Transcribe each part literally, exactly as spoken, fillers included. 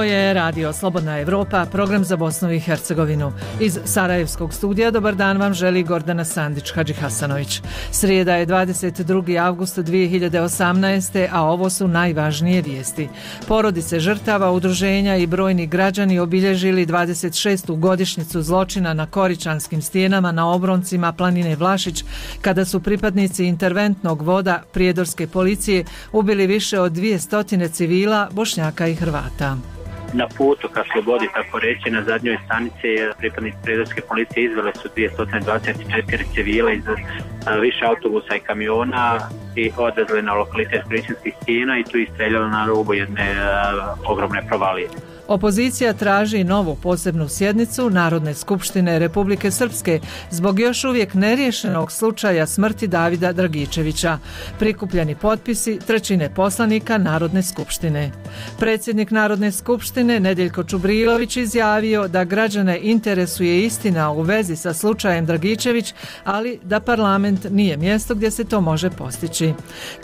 je Radio Slobodna Evropa, program za Bosnu i Hercegovinu. Iz Sarajevskog studija dobar dan vam želi Gordana Sandić Hadžihasanović. Srijeda je dvadeset drugi avgust dvije hiljade osamnaeste. a ovo su najvažnije vijesti. Porodice žrtava, udruženja i brojni građani obilježili dvadeset šestu godišnjicu zločina na Koričanskim stijenama na obroncima planine Vlašić, kada su pripadnici interventnog voda prijedorske policije ubili više od dvije stotine civila, Bošnjaka i Hrvata. Na putu ka slobodi, tako reći, na zadnjoj stanici pripadnici prijedorske policije izvele su dvjesto dvadeset četiri civila iz više autobusa i kamiona i odvezli na lokalitet Koričanskih stijena i tu istreljali na rubu jedne uh, ogromne provalije. Opozicija traži novu posebnu sjednicu Narodne skupštine Republike Srpske zbog još uvijek neriješenog slučaja smrti Davida Dragičevića. Prikupljeni potpisi trećine poslanika Narodne skupštine. Predsjednik Narodne skupštine Nedeljko Čubrilović izjavio da građane interesuje istina u vezi sa slučajem Dragičević, ali da parlament nije mjesto gdje se to može postići.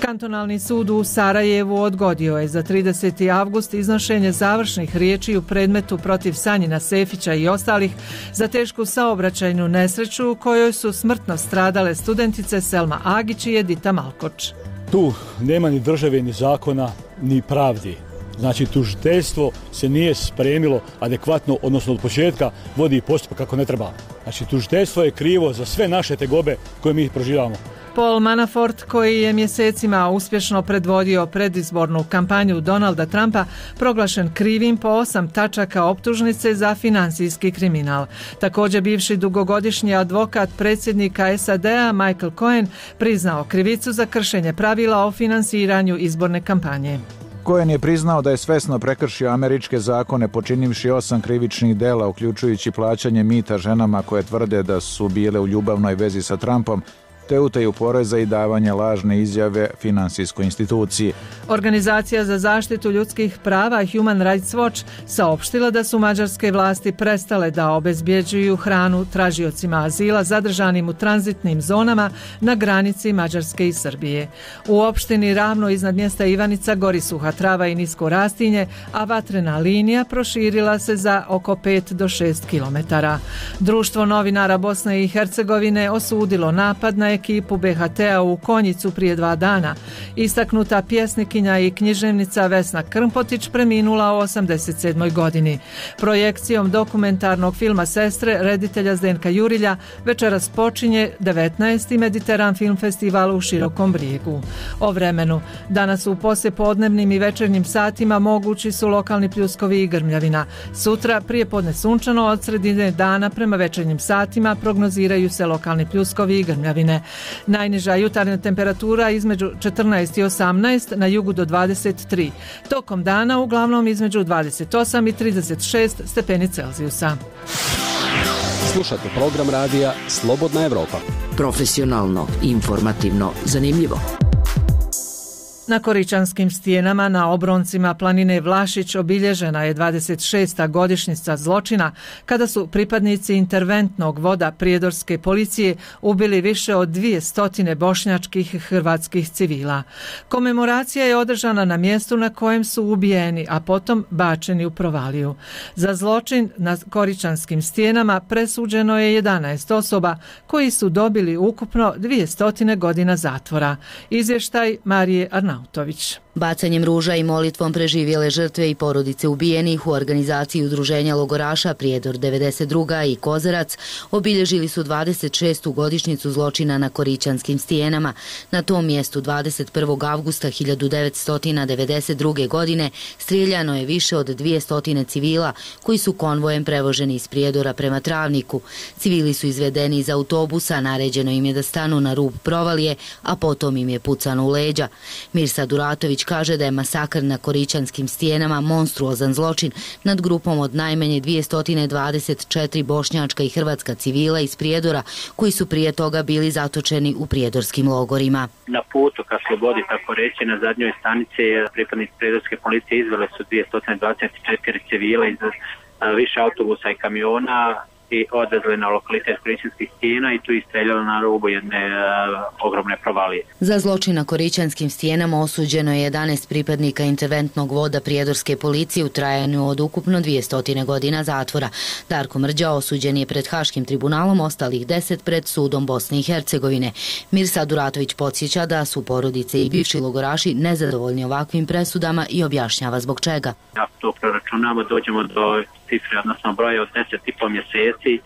Kantonalni sud u Sarajevu odgodio je za trideseti avgust iznošenje završnih riječi u predmetu protiv Sanjina Sefića i ostalih za tešku saobraćajnu nesreću u kojoj su smrtno stradale studentice Selma Agić i Edita Malkoč. Tu nema ni države, ni zakona, ni pravdi. Znači, tužiteljstvo se nije spremilo adekvatno, odnosno od početka vodi postupak kako ne treba. Znači, tužiteljstvo je krivo za sve naše tegobe koje mi proživamo. Paul Manafort, koji je mjesecima uspješno predvodio predizbornu kampanju Donalda Trumpa, proglašen krivim po osam tačaka optužnice za financijski kriminal. Također bivši dugogodišnji advokat predsjednika S A D-a Michael Cohen priznao krivicu za kršenje pravila o finansiranju izborne kampanje. Cohen je priznao da je svesno prekršio američke zakone počinivši osam krivičnih dela, uključujući plaćanje mita ženama koje tvrde da su bile u ljubavnoj vezi sa Trumpom, te utaju poreza i davanje lažne izjave finansijskoj instituciji. Organizacija za zaštitu ljudskih prava Human Rights Watch saopštila da su mađarske vlasti prestale da obezbjeđuju hranu tražiocima azila zadržanim u tranzitnim zonama na granici Mađarske i Srbije. U opštini Ravno iznad mjesta Ivanica gori suha trava i nisko rastinje, a vatrena linija proširila se za oko pet do šest kilometara. Društvo novinara Bosne i Hercegovine osudilo napad na ekipu B H T-a u Konjicu prije dva dana. Istaknuta pjesnikinja i književnica Vesna Krmpotić preminula u osamdeset sedmoj godini. Projekcijom dokumentarnog filma Sestre reditelja Zdenka Jurilja večeras počinje devetnaesti Mediteran film festival u Širokom Brijegu. O vremenu. Danas u poslijepodnevnim i večernjim satima mogući su lokalni pljuskovi i grmljavina. Sutra prijepodne sunčano, od sredine dana prema večernjim satima prognoziraju se lokalni pljuskovi i grmljavine. Najniža jutarnja temperatura između četrnaest i osamnaest, na jugu do dvadeset tri. Tokom dana uglavnom između dvadeset osam i trideset šest stepeni Celzijusa. Slušate program radija Slobodna Evropa. Profesionalno, informativno, zanimljivo. Na Koričanskim stijenama na obroncima planine Vlašić obilježena je dvadeset šesta godišnjica zločina kada su pripadnici interventnog voda prijedorske policije ubili više od dvije stotine bošnjačkih i hrvatskih civila. Komemoracija je održana na mjestu na kojem su ubijeni, a potom bačeni u provaliju. Za zločin na Koričanskim stijenama presuđeno je jedanaest osoba koji su dobili ukupno dvije stotine godina zatvora. Izvještaj Marije Arnautović. Bacanjem ruža i molitvom preživjele žrtve i porodice ubijenih u organizaciji udruženja logoraša Prijedor devedeset druga i Kozarac obilježili su dvadeset šestu godišnjicu zločina na Koričanskim stijenama. Na tom mjestu dvadeset prvog avgusta hiljadu devetsto devedeset druge. godine strijeljano je više od dvije stotine civila koji su konvojem prevoženi iz Prijedora prema Travniku. Civili su izvedeni iz autobusa, naređeno im je da stanu na rub provalije, a potom im je pucano u leđa. Mirsa Duratović kaže da je masakr na Koričanskim stijenama monstruozan zločin nad grupom od najmanje dvjesto dvadeset četiri bošnjačka i hrvatska civila iz Prijedora koji su prije toga bili zatočeni u prijedorskim logorima. Na putu ka slobodi, tako reći, na zadnjoj stanici pripadnici prijedorske policije izvele su dvjesto dvadeset četiri civila iz više autobusa i kamiona i odvezli na lokalitet Korićanskih stijena i tu istreljali na rubu jedne uh, ogromne provalije. Za zločin na Korićanskim stijenama osuđeno je jedanaest pripadnika interventnog voda prijedorske policije u trajanju od ukupno dvjesto godina zatvora. Darko Mrđa osuđen je pred Haškim tribunalom, ostalih deset pred sudom Bosne i Hercegovine. Mirsad Uratović podsjeća da su porodice i bivši logoraši nezadovoljni ovakvim presudama i objašnjava zbog čega. Ako to proračunamo, dođemo do cifre, odnosno broja od deset i po mjeseci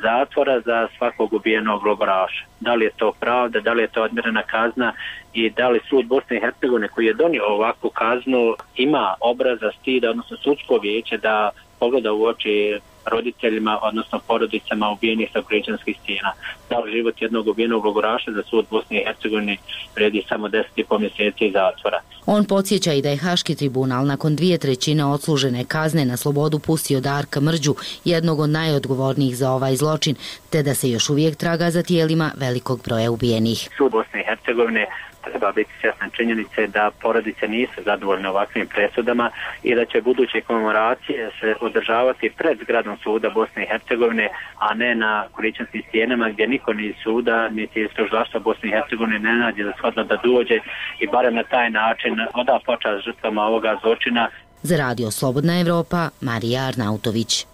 zatvora za svakog ubijenog logoraša. Da li je to pravda, da li je to odmjerena kazna i da li sud Bosne i Hercegovine koji je donio ovakvu kaznu ima obraza, stida, odnosno sudsko vijeće da pogleda u oči roditeljima, odnosno porodicama ubijenih sa Korićanskih stijena. Da li život jednog ubijenog logoraša za sud Bosne i Hercegovine vredi samo deset i po mjeseci zatvora. On podsjeća i da je Haški tribunal nakon dvije trećine odslužene kazne na slobodu pustio Darka Mrđu, jednog od najodgovornijih za ovaj zločin, te da se još uvijek traga za tijelima velikog broja ubijenih. Sud Bosne i Hercegovine treba biti svjestan činjenice da porodice nisu zadovoljne ovakvim presudama i da će buduće komemoracije se održavati pred zgradom suda Bosne i Hercegovine, a ne na Korićanskim stijenama gdje niko ni suda niti iz tužilaštva Bosne i Hercegovine ne nađe za shodno da dođe i barem na taj način oda počast žrtvama ovoga zločina. Za radio Slobodna Evropa, Marija Arnautović.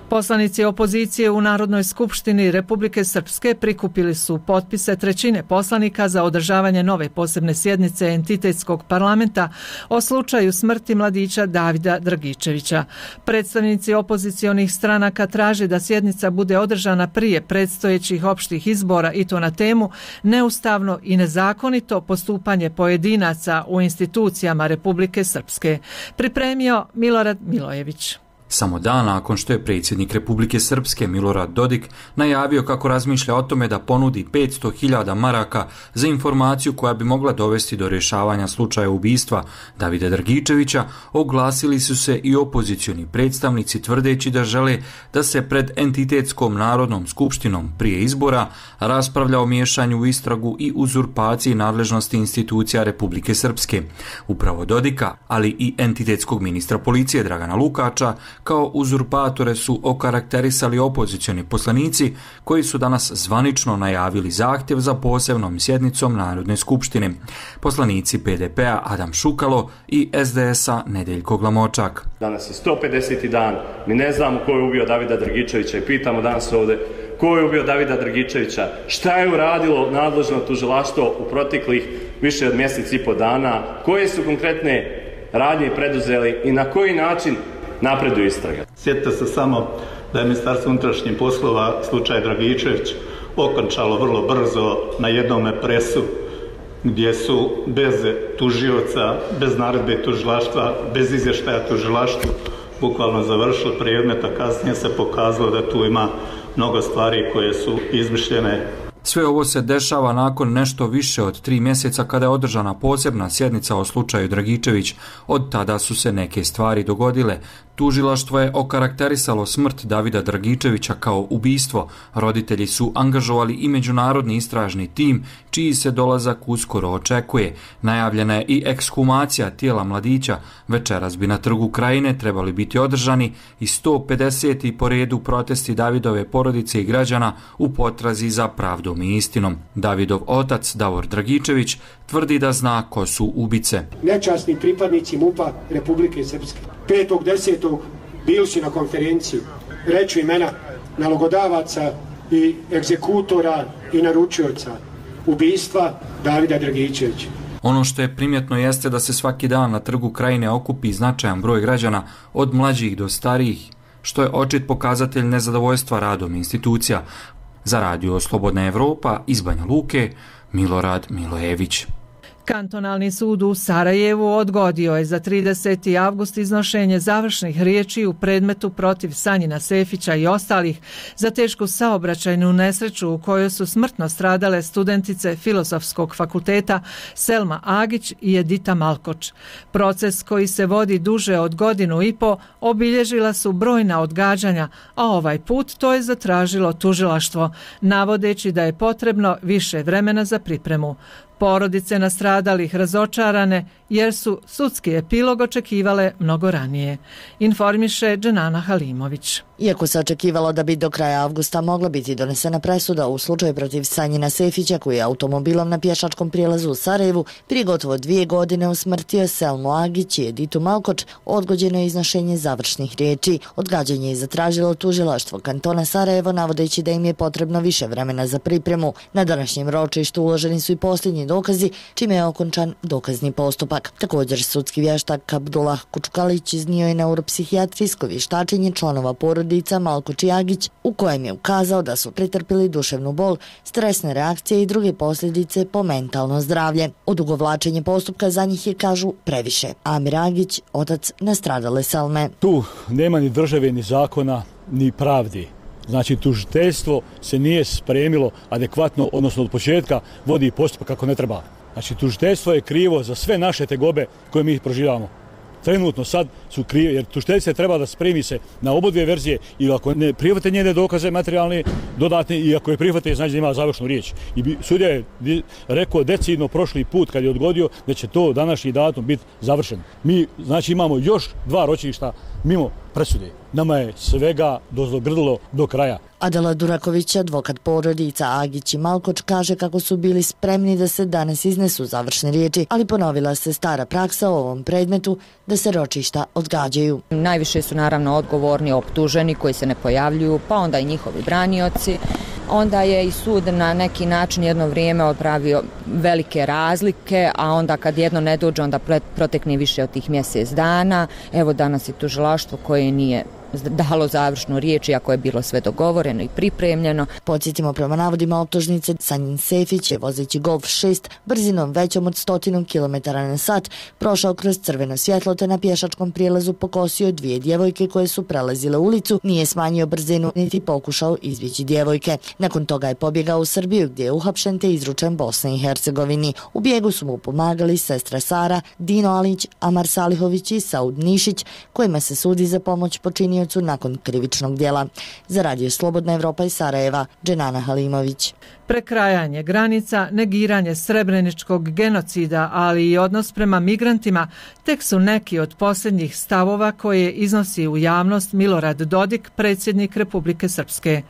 Poslanici opozicije u Narodnoj skupštini Republike Srpske prikupili su potpise trećine poslanika za održavanje nove posebne sjednice entitetskog parlamenta o slučaju smrti mladića Davida Dragičevića. Predstavnici opozicionih stranaka traže da sjednica bude održana prije predstojećih opštih izbora i to na temu neustavno i nezakonito postupanje pojedinaca u institucijama Republike Srpske. Pripremio Milorad Milojević. Samo dan nakon što je predsjednik Republike Srpske Milorad Dodik najavio kako razmišlja o tome da ponudi petsto hiljada maraka za informaciju koja bi mogla dovesti do rješavanja slučaja ubistva Davida Dragičevića, oglasili su se i opozicioni predstavnici tvrdeći da žele da se pred entitetskom narodnom skupštinom prije izbora raspravlja o miješanju u istragu i uzurpaciji nadležnosti institucija Republike Srpske. Upravo Dodika, ali i entitetskog ministra policije Dragana Lukača, kao uzurpatore su okarakterisali opozicioni poslanici koji su danas zvanično najavili zahtjev za posebnom sjednicom Narodne skupštine. Poslanici P D P-a Adam Šukalo i S D S-a Nedeljko Glamočak. Danas je sto pedeseti dan, mi ne znamo ko je ubio Davida Dragičevića i pitamo danas ovdje ko je ubio Davida Dragičevića, šta je uradilo nadležno tužilaštvo u proteklih više od mjesec i po dana, koje su konkretne radnje preduzeli i na koji način napreduju istraga. Sjetite se samo da je Ministarstvo unutrašnjih poslova slučaj Dragičević okončalo vrlo brzo na jednome presu gdje su bez tužioca, bez naredbe tužilaštva, bez izvještaja tužilaštvu bukvalno završili predmet, a kasnije se pokazalo da tu ima mnogo stvari koje su izmišljene. Sve ovo se dešava nakon nešto više od tri mjeseca kada je održana posebna sjednica o slučaju Dragičević. Od tada su se neke stvari dogodile. Tužilaštvo je okarakterisalo smrt Davida Dragičevića kao ubistvo. Roditelji su angažovali i međunarodni istražni tim, čiji se dolazak uskoro očekuje. Najavljena je i ekshumacija tijela mladića. Večeras bi na Trgu Krajine trebali biti održani i sto pedeseti po redu protesti Davidove porodice i građana u potrazi za pravdom i istinom. Davidov otac Davor Dragičević tvrdi da zna ko su ubice. Nečasni pripadnici MUP-a Republike Srpske. petog desetog bili su na konferenciji, reću imena nalogodavaca i egzekutora i naručioca ubistva Davida Dragičevića. Ono što je primjetno jeste da se svaki dan na Trgu Krajine okupi značajan broj građana od mlađih do starijih, što je očit pokazatelj nezadovoljstva radom institucija. Za radio Slobodna Evropa iz Banja Luke, Milorad Milojević. Kantonalni sud u Sarajevu odgodio je za trideseti avgust iznošenje završnih riječi u predmetu protiv Sanjina Sefića i ostalih za tešku saobraćajnu nesreću u kojoj su smrtno stradale studentice Filozofskog fakulteta Selma Agić i Edita Malkoč. Proces koji se vodi duže od godinu i po obilježila su brojna odgađanja, a ovaj put to je zatražilo tužilaštvo, navodeći da je potrebno više vremena za pripremu. Porodice nastradalih razočarane jer su sudski epilog očekivale mnogo ranije, informiše Dženana Halimović. Iako se očekivalo da bi do kraja avgusta mogla biti donesena presuda u slučaju protiv Sanjina Sefića, koji je automobilom na pješačkom prijelazu u Sarajevu prije gotovo dvije godine usmrtio Selmu Agić i Editu Malkoč, odgođeno je iznošenje završnih riječi. Odgađanje je zatražilo tužilaštvo kantona Sarajevo, navodeći da im je potrebno više vremena za pripremu. Na današnjem ročištu uloženi su i posljednji dokazi, čime je okončan dokazni postupak. Također, sudski vještak Abdullah Kučkalić iznio je neuropsihijatrijsko vještačenje članova porodica Malkoč i Agić, u kojem je ukazao da su pretrpili duševnu bol, stresne reakcije i druge posljedice po mentalno zdravlje. Odugovlačenje postupka za njih je, kažu, previše. Amir Agić, otac nastradale Selme. Tu nema ni države, ni zakona, ni pravdi. Znači, tužiteljstvo se nije spremilo adekvatno, odnosno od početka vodi postupak kako ne treba. Znači, tužiteljstvo je krivo za sve naše tegobe koje mi proživamo. Trenutno sad su krivi, jer tužiteljica treba da spremi se na obodve verzije ili ako ne prihvate njene dokaze materijalne, dodatne, i ako je prihvate, znači da ima završnu riječ. I sudija je rekao decidno prošli put kad je odgodio da će to današnji datum biti završen. Mi, znači, imamo još dva ročišta mimo presude. Nama je svega dozogrdilo do kraja. Adela Duraković, advokat porodica Agić i Malkoč, kaže kako su bili spremni da se danas iznesu završne riječi, ali ponovila se stara praksa u ovom predmetu da se ročišta odgađaju. Najviše su naravno odgovorni optuženi koji se ne pojavljuju, pa onda i njihovi branioci. Onda je i sud na neki način jedno vrijeme odpravio velike razlike, a onda kad jedno ne dođe, onda protekne više od tih mjesec dana. Evo danas je tužilaštvo koje nije dalo završnu riječ, iako je bilo sve dogovoreno i pripremljeno. Podsjetimo, prema navodima optužnice, Sanjin Sefić je vozeći Golf šest brzinom većom od stotinu kilometara na sat prošao kroz crveno svjetlo te na pješačkom prijelazu pokosio dvije djevojke koje su prelazile ulicu, nije smanjio brzinu niti pokušao izbjeći djevojke. Nakon toga je pobjegao u Srbiju gdje je uhapšen te izručen Bosni i Hercegovini. U bijegu su mu pomagali sestra Sara, Dino Alić, Amar Salihović i Saud Nišić, kojima se sudi za pomoć počinio nakon krivičnog djela. Za Radio Slobodna Evropa iz Sarajeva, Dženana Halimović. Prekrajanje granica, negiranje srebreničkog genocida, ali i odnos prema migrantima tek su neki od posljednjih stavova koje iznosi u javnost Milorad Dodik, predsjednik Republike Srpske.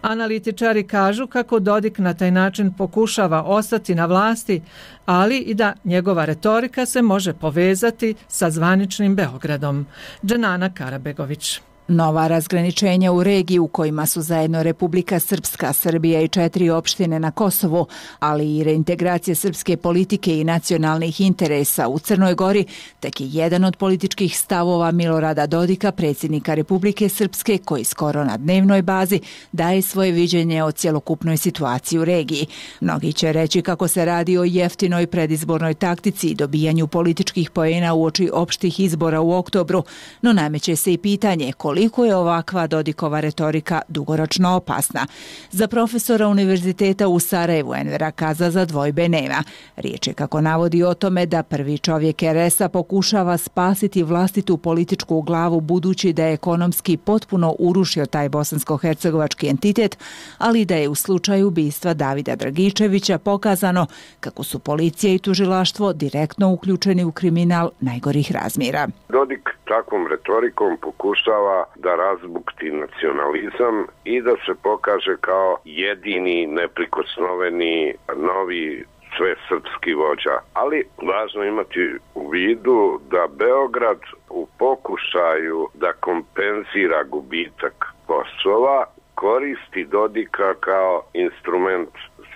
Analitičari kažu kako Dodik na taj način pokušava ostati na vlasti, ali i da njegova retorika se može povezati sa zvaničnim Beogradom. Dženana Karabegović. Nova razgraničenja u regiji u kojima su zajedno Republika Srpska, Srbija i četiri opštine na Kosovu, ali i reintegracija srpske politike i nacionalnih interesa u Crnoj Gori, tek je jedan od političkih stavova Milorada Dodika, predsjednika Republike Srpske, koji skoro na dnevnoj bazi daje svoje viđenje o cjelokupnoj situaciji u regiji. Mnogi će reći kako se radi o jeftinoj predizbornoj taktici i dobijanju političkih poena uoči opštih izbora u oktobru, no nameće se i pitanje koliko je ovakva Dodikova retorika dugoročno opasna. Za profesora Univerziteta u Sarajevu Envera Kazaza dvojbe nema. Riječ je, kako navodi, o tome da prvi čovjek er es a pokušava spasiti vlastitu političku glavu budući da je ekonomski potpuno urušio taj bosansko-hercegovački entitet, ali da je u slučaju ubistva Davida Dragičevića pokazano kako su policija i tužilaštvo direktno uključeni u kriminal najgorih razmjera. Dodik takvom retorikom pokušava da razbukti nacionalizam i da se pokaže kao jedini neprikosnoveni novi svesrpski vođa. Ali važno imati u vidu da Beograd u pokušaju da kompenzira gubitak Kosova koristi Dodika kao instrument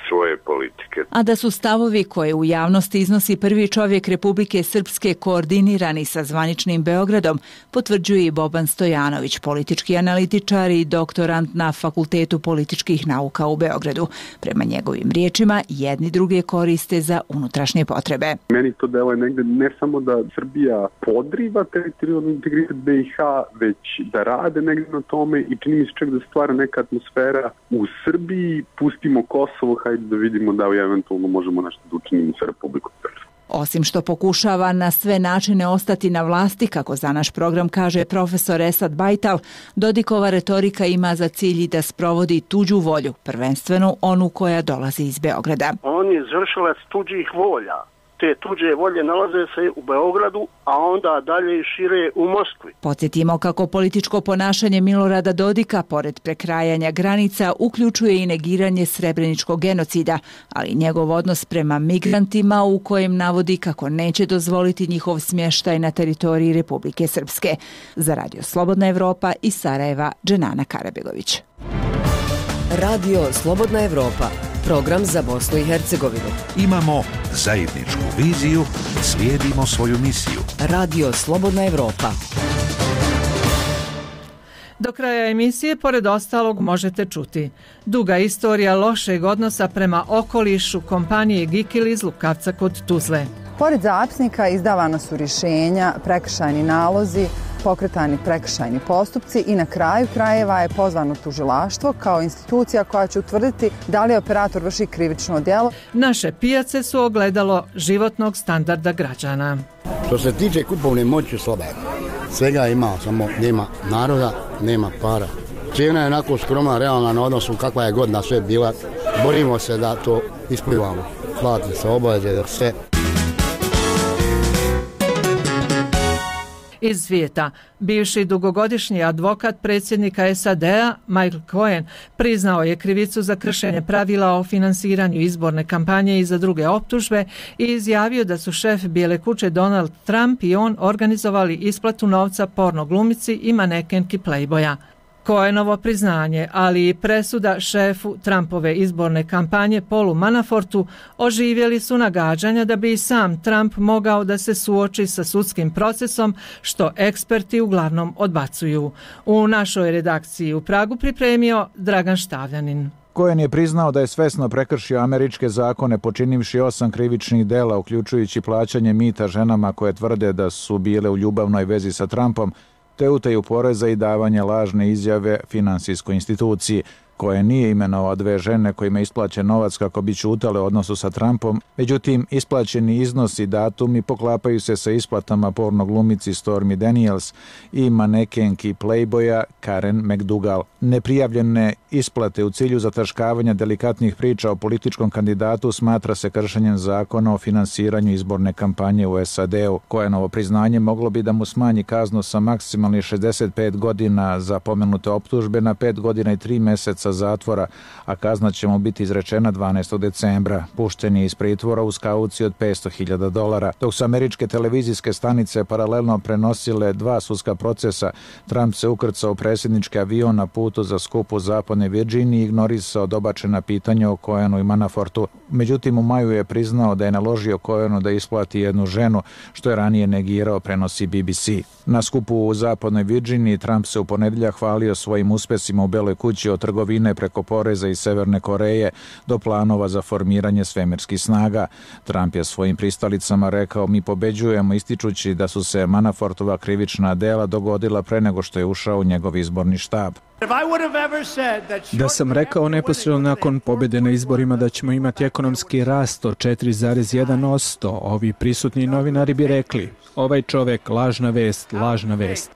svoje politike. A da su stavovi koje u javnosti iznosi prvi čovjek Republike Srpske koordinirani sa zvaničnim Beogradom, potvrđuje i Boban Stojanović, politički analitičar i doktorant na Fakultetu političkih nauka u Beogradu. Prema njegovim riječima, jedni druge koriste za unutrašnje potrebe. Meni to deluje negde ne samo da Srbija podriva teritorijalni integritet be i ha, već da rade negde na tome i čini mi se čak da stvara neka atmosfera u Srbiji, pustimo Kosovo, hajde da vidimo da eventualno možemo nešto da učinimo sa Republikom Srpskom. Osim što pokušava na sve načine ostati na vlasti, kako za naš program kaže profesor Esad Bajtal, Dodikova retorika ima za cilj da sprovodi tuđu volju, prvenstveno onu koja dolazi iz Beograda. On je izvršilac tuđih volja te tuđe volje nalaze se u Beogradu, a onda dalje i šire u Moskvi. Podsjetimo kako političko ponašanje Milorada Dodika, pored prekrajanja granica, uključuje i negiranje srebreničkog genocida, ali njegov odnos prema migrantima u kojem navodi kako neće dozvoliti njihov smještaj na teritoriji Republike Srpske. Za Radio Slobodna Evropa iz Sarajeva, Dženana Karabegović. Radio Slobodna Evropa, program za Bosnu i Hercegovinu. Imamo zajedničku viziju, slijedimo svoju misiju. Radio Slobodna Evropa. Do kraja emisije, pored ostalog, možete čuti duga istorija lošeg odnosa prema okolišu kompanije Gikil iz Lukavca kod Tuzle. Pored zapisnika izdavana su rješenja, prekršajni nalozi, pokretani prekršajni postupci i na kraju krajeva je pozvano tužilaštvo kao institucija koja će utvrditi da li operator vrši krivično djelo. Naše pijace su ogledalo životnog standarda građana. Što se tiče kupovne moći slaba, svega ima, samo nema naroda, nema para. Cijena je onako skromna, realna na odnosu kakva je godina sve bila. Borimo se da to ispunjavamo. Plati se obaveze da sve. Iz svijeta, bivši dugogodišnji advokat predsjednika S A D-a Michael Cohen priznao je krivicu za kršenje pravila o finansiranju izborne kampanje i za druge optužbe i izjavio da su šef Bijele kuće Donald Trump i on organizovali isplatu novca porno glumici i manekenki Playboya. Cohenovo priznanje, ali i presuda šefu Trumpove izborne kampanje Paulu Manafortu oživjeli su nagađanja da bi i sam Trump mogao da se suoči sa sudskim procesom, što eksperti uglavnom odbacuju. U našoj redakciji u Pragu pripremio Dragan Štavljanin. Cohen je priznao da je svesno prekršio američke zakone počinivši osam krivičnih dela, uključujući plaćanje mita ženama koje tvrde da su bile u ljubavnoj vezi sa Trumpom, te utaju poreza i davanje lažne izjave finansijskoj instituciji. Koje nije imenovao dve žene kojima je isplaćen novac kako bi ćutale u odnosu sa Trumpom, međutim isplaćeni iznosi i datumi poklapaju se sa isplatama porno glumici Stormy Daniels i manekenki Playboya Karen McDougal. Neprijavljene isplate u cilju zataškavanja delikatnih priča o političkom kandidatu smatra se kršenjem zakona o finansiranju izborne kampanje u S A D-u. Cohenovo priznanje moglo bi da mu smanji kaznu sa maksimalnih šezdeset pet godina za pomenute optužbe na pet godina i tri mjeseca zatvora, a kazna će mu biti izrečena dvanaestog decembra. Pušten je iz pritvora uz kauciju od petsto hiljada dolara. Dok su američke televizijske stanice paralelno prenosile dva sudska procesa, Trump se ukrcao u predsjednički avion na putu za skup u zapadnoj Virginiji i ignorisao dobačena pitanja o Cohenu i Manafortu. Međutim, u maju je priznao da je naložio Cohenu da isplati jednu ženu, što je ranije negirao, prenosi B B C. Na skupu u zapadnoj Virginiji Trump se u ponedjeljak hvalio svojim uspjesima u Beloj kući od trgovine preko poreza iz Severne Koreje do planova za formiranje svemirskih snaga. Trump je svojim pristalicama rekao: mi pobeđujemo, ističući da su se Manafortova krivična dela dogodila pre nego što je ušao u njegov izborni štab. Da sam rekao neposredno nakon pobjede na izborima da ćemo imati ekonomski rast od četiri zarez jedan posto, ovi prisutni novinari bi rekli: ovaj čovek, lažna vest, lažna vest.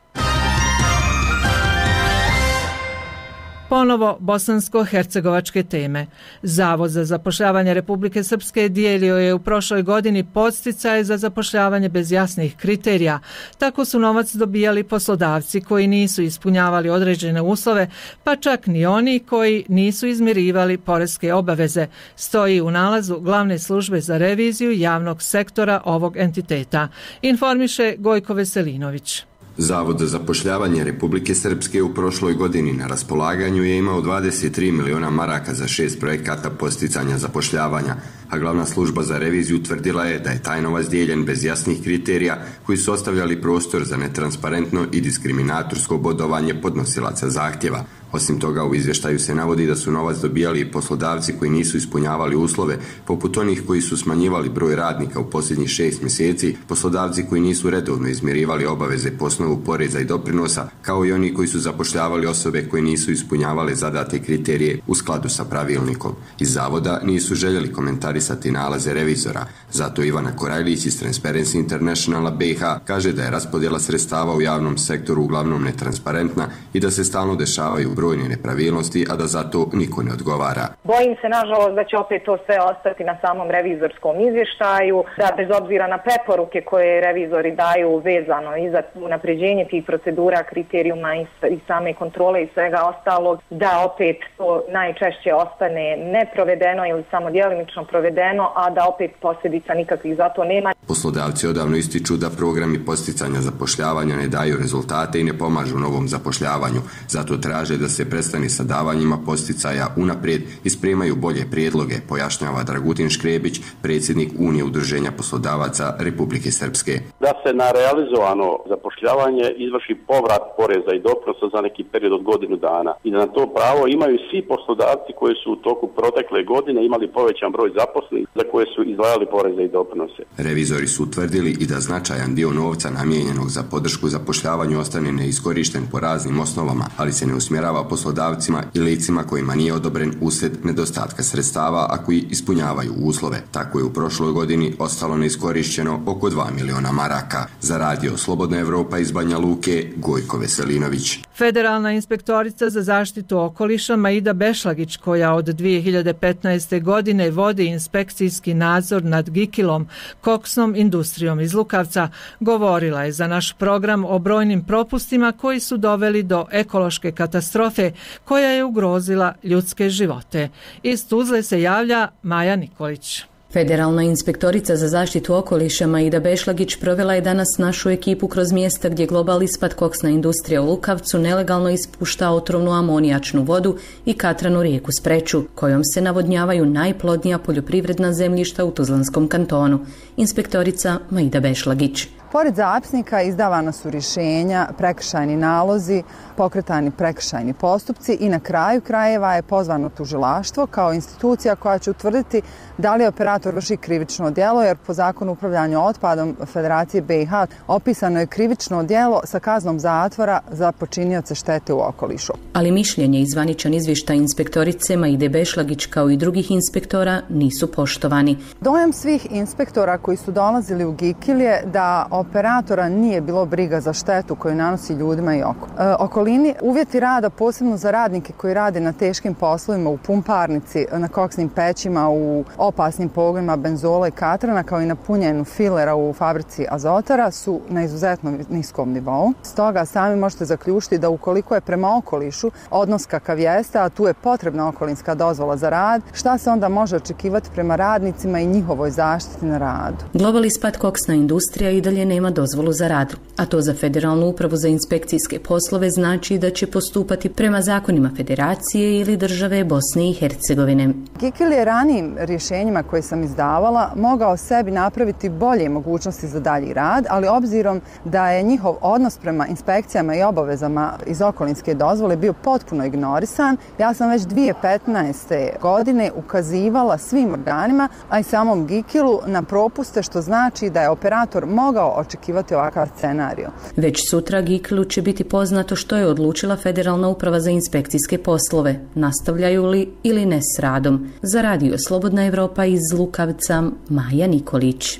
Ponovo bosansko-hercegovačke teme. Zavod za zapošljavanje Republike Srpske dijelio je u prošloj godini podsticaje za zapošljavanje bez jasnih kriterija. Tako su novac dobijali poslodavci koji nisu ispunjavali određene uslove, pa čak ni oni koji nisu izmirivali poreske obaveze, stoji u nalazu Glavne službe za reviziju javnog sektora ovog entiteta, informiše Gojko Veselinović. Zavod za zapošljavanje Republike Srpske u prošloj godini na raspolaganju je imao dvadeset tri miliona maraka za šest projekata posticanja zapošljavanja, a glavna služba za reviziju tvrdila je da je taj novac dijeljen bez jasnih kriterija koji su ostavljali prostor za netransparentno i diskriminatorsko bodovanje podnosilaca zahtjeva. Osim toga, u izvještaju se navodi da su novac dobijali i poslodavci koji nisu ispunjavali uslove, poput onih koji su smanjivali broj radnika u posljednjih šest mjeseci, poslodavci koji nisu redovno izmirivali obaveze po osnovu poreza i doprinosa, kao i oni koji su zapošljavali osobe koje nisu ispunjavale zadate kriterije u skladu sa pravilnikom. Iz zavoda nisu željeli komentarisati komentarisati nalaze revizora. Zato Ivana Korajlić iz Transparency Internationala B i H kaže da je raspodjela sredstava u javnom sektoru uglavnom netransparentna i da se stalno dešavaju brojne nepravilnosti, a da zato niko ne odgovara. Bojim se, nažalost, da će opet to sve ostati na samom revizorskom izvještaju, da bez obzira na preporuke koje revizori daju vezano i za unapređenje tih procedura, kriterijuma i same kontrole i svega ostalog, da opet to najčešće ostane neprovedeno ili samo djelimično provedeno, a da opet posljedica nikakvih za to nema. Poslodavci odavno ističu da programi posticanja zapošljavanja ne daju rezultate i ne pomažu novom zapošljavanju. Zato traže da se prestane sa davanjima posticaja unaprijed i spremaju bolje prijedloge, pojašnjava Dragutin Škrebić, predsjednik Unije udruženja poslodavaca Republike Srpske. Da se na realizovano zapošljavanje izvrši povrat poreza i doprinosa za neki period od godinu dana i da na to pravo imaju svi poslodavci koji su u toku protekle godine imali povećan broj zaposlenih za koje su izdvajali poreze i doprinose. Revizori su utvrdili i da značajan dio novca namijenjenog za podršku zapošljavanju ostane neiskorišten po raznim osnovama, ali se ne usmjerava poslodavcima i licima kojima nije odobren uslijed nedostatka sredstava, a koji ispunjavaju uslove. Tako je u prošloj godini ostalo neiskorišćeno oko dva miliona maraka. Za radio Slobodna Evropa iz Banja Luke, Gojko Veselinović. Federalna inspektorica za zaštitu okoliša Maida Bešlagić, koja od dvije hiljade petnaeste. godine vodi inspekcijski nadzor nad Gikilom, koksnom industrijom iz Lukavca, govorila je za naš program o brojnim propustima koji su doveli do ekološke katastrofe koja je ugrozila ljudske živote. Iz Tuzle se javlja Maja Nikolić. Federalna inspektorica za zaštitu okoliša Maida Bešlagić provela je danas našu ekipu kroz mjesta gdje Global Ispad koksna industrija u Lukavcu nelegalno ispušta otrovnu amonijačnu vodu i katranu rijeku Spreču, kojom se navodnjavaju najplodnija poljoprivredna zemljišta u Tuzlanskom kantonu. Inspektorica Maida Bešlagić. Pored zapisnika izdavana su rješenja, prekršajni nalozi, pokretani prekršajni postupci i na kraju krajeva je pozvano tužilaštvo kao institucija koja će utvrditi da li operator vrši krivično djelo, jer po zakonu upravljanja otpadom Federacije B i H opisano je krivično djelo sa kaznom zatvora za počinioce štete u okolišu. Ali mišljenje i zvaničan izvještaj inspektorice Maide Bešlagić kao i drugih inspektora nisu poštovani. Dojam svih inspektora koji su dolazili u Gikil je da operatora nije bilo briga za štetu koju nanosi ljudima i oko. E, okolini uvjeti rada, posebno za radnike koji rade na teškim poslovima u pumparnici, na koksnim pećima, u opasnim pogonima benzola i katrana, kao i na punjenju filera u fabrici azotara, su na izuzetno niskom nivou. Stoga sami možete zaključiti da ukoliko je prema okolišu odnos kakav jeste, a tu je potrebna okolinska dozvola za rad, šta se onda može očekivati prema radnicima i njihovoj zaštiti na radu? Global Ispad koksna industrija i dalje nema dozvolu za rad, a to za Federalnu upravu za inspekcijske poslove znači da će postupati prema zakonima Federacije ili države Bosne i Hercegovine. Gikil je ranijim rješenjima koje sam izdavala mogao sebi napraviti bolje mogućnosti za dalji rad, ali obzirom da je njihov odnos prema inspekcijama i obavezama iz okolinske dozvole bio potpuno ignorisan, ja sam već dvije hiljade petnaeste. godine ukazivala svim organima, a i samom Gikilu na propuste, što znači da je operator mogao očekivati ovakav scenarij. Već sutra Gikilu će biti poznato što je odlučila Federalna uprava za inspekcijske poslove, nastavljaju li ili ne s radom. Za radio Slobodna Evropa iz Lukavca, Maja Nikolić.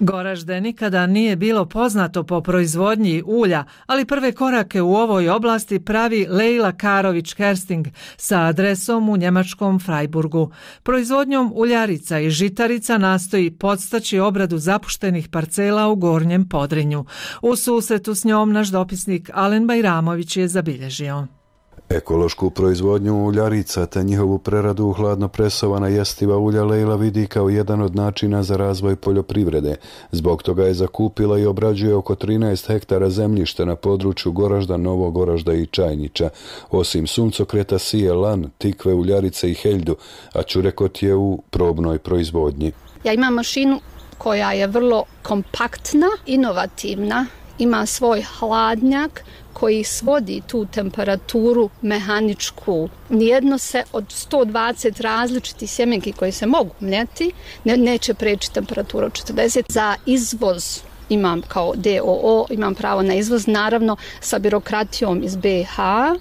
Goražde nikada nije bilo poznato po proizvodnji ulja, ali prve korake u ovoj oblasti pravi Lejla Karović-Kersting sa adresom u njemačkom Freiburgu. Proizvodnjom uljarica i žitarica nastoji podstaći obradu zapuštenih parcela u Gornjem Podrinju. U susretu s njom naš dopisnik Alen Bajramović je zabilježio. Ekološku proizvodnju uljarica te njihovu preradu u hladno presovana jestiva ulja Lejla vidi kao jedan od načina za razvoj poljoprivrede. Zbog toga je zakupila i obrađuje oko trinaest hektara zemljišta na području Goražda, Novog Goražda i Čajnića. Osim suncokreta sije lan, tikve, uljarice i heljdu, a čurekot je u probnoj proizvodnji. Ja imam mašinu koja je vrlo kompaktna, inovativna, ima svoj hladnjak koji svodi tu temperaturu mehaničku. Nijedno se od sto dvadeset različitih sjemenki koje se mogu mljeti ne, neće preći temperaturu četrdeset. Za izvoz imam kao D O O, imam pravo na izvoz, naravno sa birokratijom iz B i H.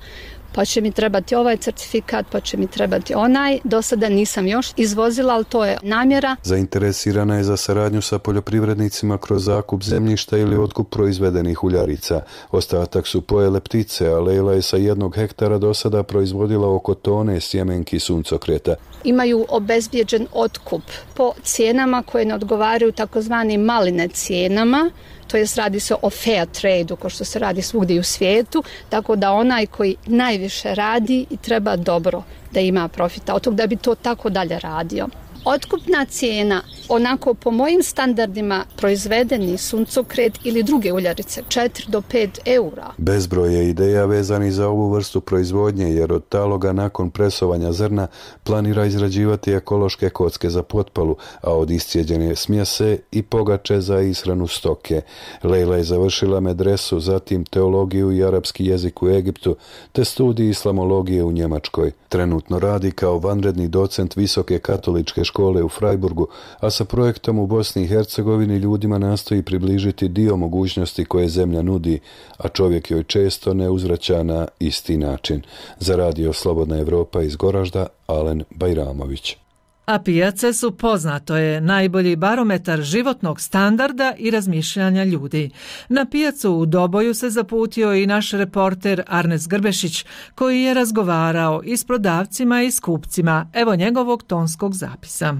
pa će mi trebati ovaj certifikat, pa će mi trebati onaj. Do sada nisam još izvozila, ali to je namjera. Zainteresirana je za saradnju sa poljoprivrednicima kroz zakup zemljišta ili otkup proizvedenih uljarica. Ostatak su pojele ptice, a Lejla je sa jednog hektara do sada proizvodila oko tone sjemenki suncokreta. Imaju obezbijeđen otkup po cijenama koje ne odgovaraju takozvanim maline cijenama, to jest radi se o fair trade-u, kao što se radi svugdje u svijetu, tako da onaj koji najviše radi i treba dobro da ima profita od toga da bi to tako dalje radio. Otkupna cijena, onako po mojim standardima proizvedeni suncokret ili druge uljarice, četiri do pet eura. Bezbroj je ideja vezani za ovu vrstu proizvodnje, jer od taloga nakon presovanja zrna planira izrađivati ekološke kocke za potpalu, a od iscijeđene smjese i pogače za ishranu stoke. Lejla je završila medresu, zatim teologiju i arapski jezik u Egiptu, te studij islamologije u Njemačkoj. Trenutno radi kao vanredni docent Visoke katoličke škole u Freiburgu, a sa projektom u Bosni i Hercegovini ljudima nastoji približiti dio mogućnosti koje zemlja nudi, a čovjek joj često ne uzvraća na isti način. Za radio Slobodna Evropa iz Goražda, Alen Bajramović. A pijace su, poznato je, najbolji barometar životnog standarda i razmišljanja ljudi. Na pijacu u Doboju se zaputio i naš reporter Arnes Grbešić, koji je razgovarao i s prodavcima i s kupcima. Evo njegovog tonskog zapisa.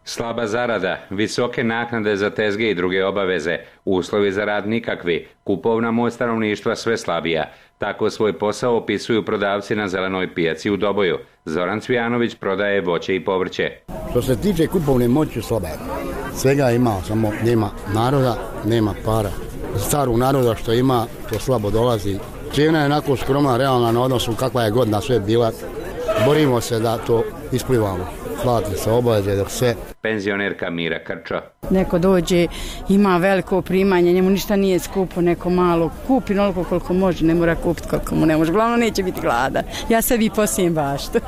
Slaba zarada, visoke naknade za tezge i druge obaveze, uslovi za rad nikakvi, kupovna moć stanovništva sve slabija. Tako svoj posao opisuju prodavci na zelenoj pijaci u Doboju. Zoran Cvijanović prodaje voće i povrće. Što se tiče kupovne moći slabe, svega ima, samo nema naroda, nema para. Starog naroda što ima, to slabo dolazi. Cijena je onako skromna, realna na odnosu kakva je godina sve bila. Borimo se da to isplivamo. Plati se obaveze dok sve. Penzionerka Mira Krčo. Neko dođe, ima veliko primanje, njemu ništa nije skupo, neko malo kupi onoliko koliko može, ne mora kupiti koliko mu ne može. Glavno neće biti gladan. Ja sebi posijem baštu.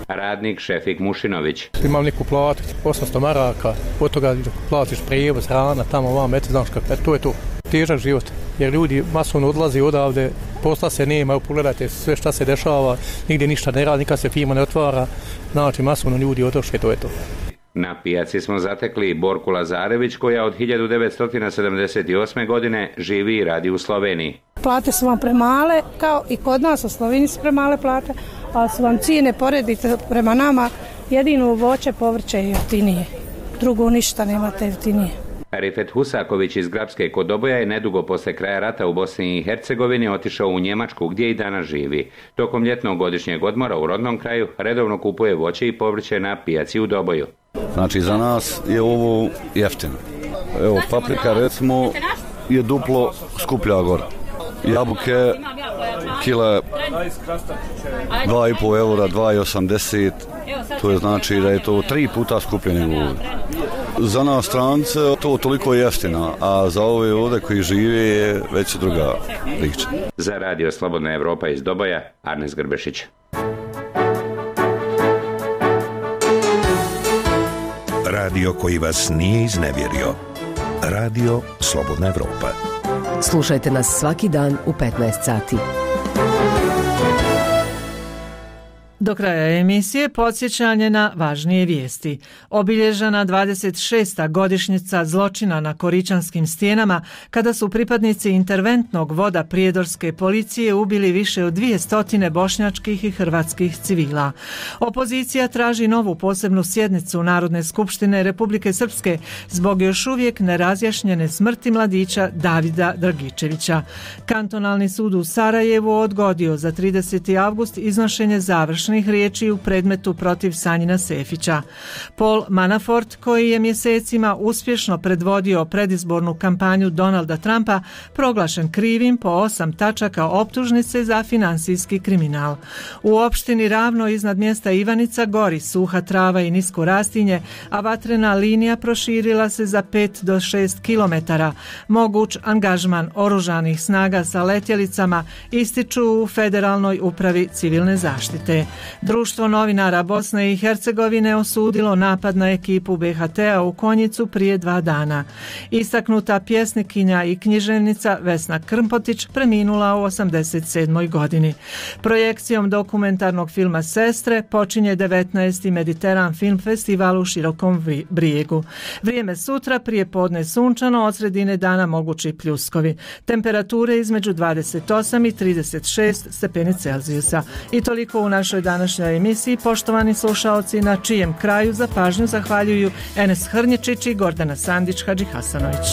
Radnik Šefik Mušinović. Imam neku platu, osamsto maraka, od toga platiš prijevoz, hrana, tamo vam, eto, znaš kako, to je to. Težak život, jer ljudi masovno odlazi odavde, posla se nema, pogledajte sve šta se dešava, nigdje ništa ne radi, nikad se firma ne otvara, znači masovno ljudi odošli, to je to. Na pijaci smo zatekli Borku Lazarević, koja od hiljadu devetsto sedamdeset osme. godine živi i radi u Sloveniji. Plate su vam premale, kao i kod nas u Sloveniji su premale plate, a su vam cijene, poredite prema nama, jedino voće, povrće je jeftinije. Drugo ništa nemate jeftinije. Rifet Husaković iz Grabske kod Doboja je nedugo posle kraja rata u Bosni i Hercegovini otišao u Njemačku, gdje i danas živi. Tokom ljetnog godišnjeg odmora u rodnom kraju redovno kupuje voće i povrće na pijaci u Doboju. Znači za nas je ovo jeftino. Evo paprika recimo je duplo skuplja gore. Jabuke kila dva i pol eura, dva i osamdeset. To je znači da je to tri puta skuplje nego ovdje. Za nas strance to toliko jeftina, a za ove ovdje koji žive je već druga priča. Za radio Slobodna Evropa iz Doboja, Arnes Grbešić. Radio koji vas nije iznevjerio. Radio Slobodna Evropa. Slušajte nas svaki dan u petnaest sati. Do kraja emisije podsjećanje na važnije vijesti. Obilježena dvadeset šesta godišnjica zločina na Koričanskim stijenama, kada su pripadnici interventnog voda prijedorske policije ubili više od dvije stotine bošnjačkih i hrvatskih civila. Opozicija traži novu posebnu sjednicu Narodne skupštine Republike Srpske zbog još uvijek nerazjašnjene smrti mladića Davida Dragičevića. Kantonalni sud u Sarajevu odgodio za trideseti avgust iznošenje završnih riječi u predmetu protiv Sanjina Sefića. Paul Manafort, koji je mjesecima uspješno predvodio predizbornu kampanju Donalda Trumpa, proglašen krivim po osam tačaka optužnice za finansijski kriminal. U opštini Ravno iznad mjesta Ivanica gori suha trava i nisko rastinje, a vatrena linija proširila se za pet do šest kilometara. Moguć angažman oružanih snaga sa letjelicama ističu u Federalnoj upravi civilne zaštite. Društvo novinara Bosne i Hercegovine osudilo napad na ekipu B H T-a u Konjicu prije dva dana. Istaknuta pjesnikinja i književnica Vesna Krmpotić preminula u osamdeset sedmoj godini. Projekcijom dokumentarnog filma Sestre počinje devetnaesti Mediteran Film Festival u Širokom Brijegu. Vrijeme sutra prije podne sunčano, od sredine dana mogući pljuskovi. Temperature između dvadeset osam i trideset šest stepeni Celzijusa. I toliko u našoj današnjoj emisiji, poštovani slušaoci, na čijem kraju za pažnju zahvaljuju Enes Hrnječić i Gordana Sandić Hadžihasanović.